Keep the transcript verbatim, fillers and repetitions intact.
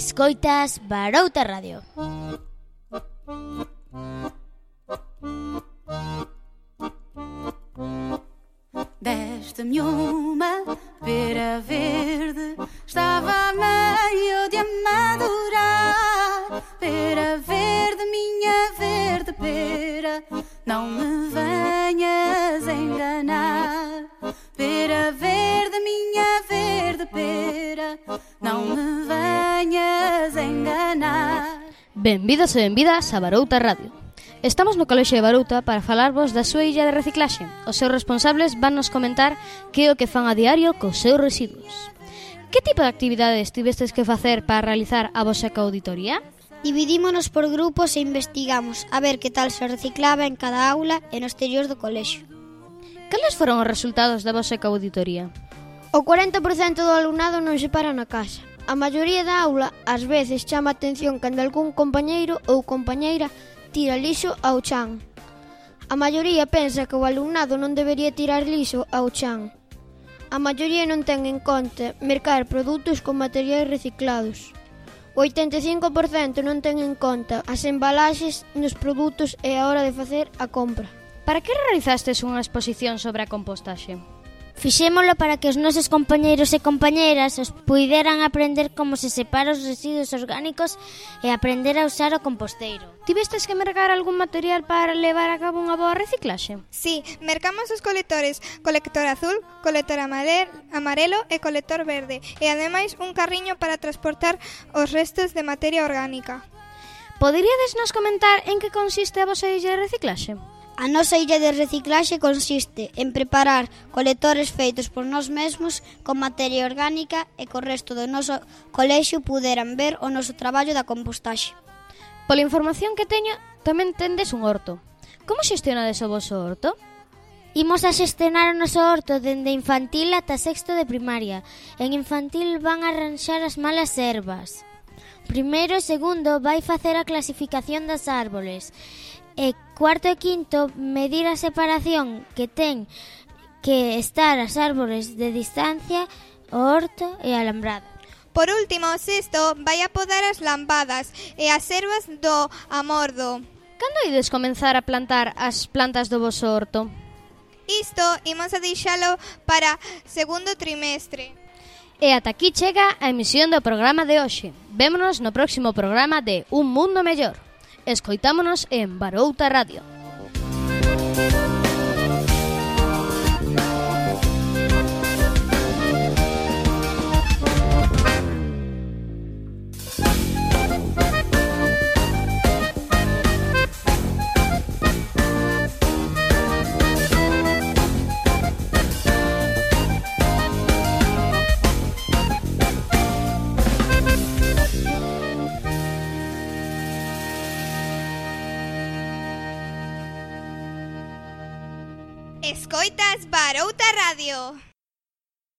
Escoitas Barouta Radio. Deste-me uma pera verde, estava meio de amadurar. Pera verde, minha verde pera, não me venhas enganar. Pera verde, minha verde pera, não me venhas enganar. Benvidos e benvidas a Barouta Radio. Estamos no Colexio de Barouta para falarvos da súa illa de reciclaxe. Os seus responsables van nos comentar que é o que fan a diario cos seus residuos. Que tipo de actividades tivestes que facer para realizar a vosa auditoría? Dividímonos por grupos e investigamos a ver que tal se reciclaba en cada aula e no exterior do colexio. Cales foron os resultados da vosa auditoría? O cuarenta por cento do alumnado non se para na casa. A maioría da aula ás veces chama a atención cando algún compañeiro ou compañeira tira lixo ao chan. A maioría pensa que o alumnado non debería tirar lixo ao chan. A maioría non ten en conta mercar produtos con materiais reciclados. O oitenta e cinco por cento non ten en conta as embalaxes nos produtos e a hora de facer a compra. Para que realizastes unha exposición sobre a compostaxe? Fixémolo para que os nosos compañeiros e compañeiras os puideran aprender como se separa os residuos orgánicos e aprender a usar o composteiro. Tivestes que mercar algún material para levar a cabo unha boa reciclaxe? Sí, mercamos os colectores, colector azul, colector amarelo e colector verde, e ademais un carriño para transportar os restos de materia orgánica. Poderíades nos comentar en que consiste a vosa illa de reciclaxe? A nosa illa de reciclaxe consiste en preparar colectores feitos por nós mesmos con materia orgánica e co resto do noso colexio puderan ver o noso traballo da compostaxe. Pola información que teño, tamén tendes un horto. Como xestionades o voso horto? Imos a xestionar o noso horto dende infantil ata sexto de primaria. En infantil van a arranxar as malas ervas. Primeiro e segundo vai facer a clasificación das árboles. E cuarto e quinto, medir a separación que ten que estar as árbores de distancia, o horto e a alambrada. Por último, o sexto vai a podar as lambadas e as ervas do amordo. Cando ides comenzar a plantar as plantas do voso horto? Isto imos a deixalo para segundo trimestre. E ata aquí chega a emisión do programa de hoxe. Vémonos no próximo programa de Un Mundo Mellor. Escoitámonos en Barouta Radio. Escoitas Barouta Radio.